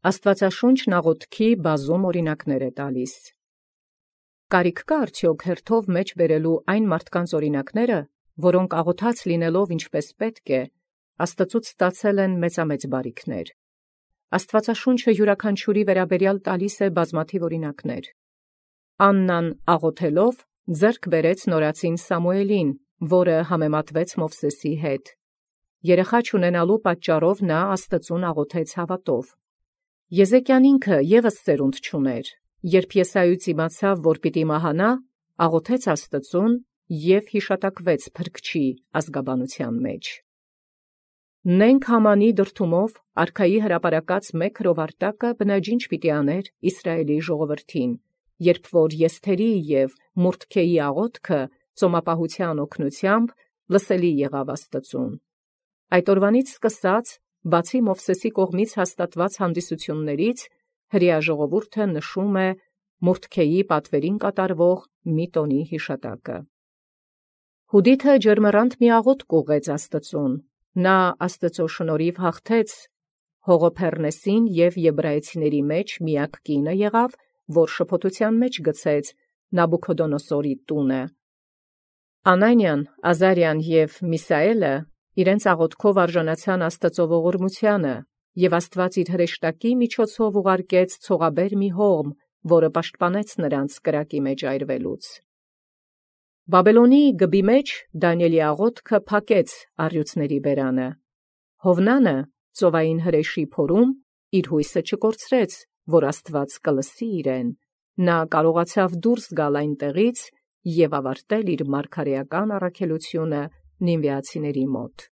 Աստուածաշունչն աղոթքի բազում օրինակներ է տալիս։ Կարիք կա արդյոք հերթով մեջ բերելու այն մարդկանց օրինակները, որոնք աղոթած լինելով ինչպես պետք է, Աստծուց ստացել են մեծամեծ բարիքներ։ Աստուածաշունչը յուրաքանչյուրի վերաբերյալ տալիս է բազմաթիվ օրինակներ։ Աննան աղոթելով ձեռք բերեց նորածին Սամուելին, որը համեմատվեց Մովսեսի հետ։ Երեխա չունենալու պատճառով նա Աստծուն աղոթեց հավատով։ Եզեկիան ինքը ևս ծերունդ չուներ, երբ Եսայից իմացավ, որ պիտի մահանա, աղոթեց Աստծուն և յիշատակվեց փրկչի ազգաբանության մեջ։ Նենք Համանի դրդումով արքայի հրապարակած մեկ հրովարտակը բնաջինչ պիտի աներ Իսրայելի ժողովրդին, երբ որ Եսթերի և Մորդքեի աղոթքը ծոմապահության օգնությամբ լսելի եղավ Աստծուն։ Այդ օրվանից սկսած, բացի Մովսեսի կողմից հաստատված հանդիսություններից, հրեա ժողովուրդը նշում է Մորդքեի պատվերին կատարվող մի տոնի հիշատակը։ Հուդիթը ջերմեռանդ մի աղոթք ուղղեց Աստծուն։ Նա Աստծո շնորհիվ հաղթեց Հողոփեռնեսին և եբրայեցիների մեջ միակ կինը եղավ, որ շփոթության մեջ գցեց Նաբուքոդոնոսորի տունը։ Անանիան, Ազարիան և Միսայելը իրենց աղոթքով արժանացան Աստծո ողորմությանը, և Աստված իր հրեշտակի միջոցով ուղարկեց ցողաբեր մի հողմ, որը պաշտպանեց նրանց կրակի մեջ այրվելուց։ Բաբելոնի գբի մեջ Դանիէլի աղոթքը փակեց առյուծների բերանը։ Հովնանը ծովային հրեշի փորում իր հույսը չկորցրեց, որ Աստված կլսի իրեն։ Նա կարողացավ դուրս գալ այնտեղից և ավարտել իր մարգարեական առաքելությունը նինվեացիների մոտ։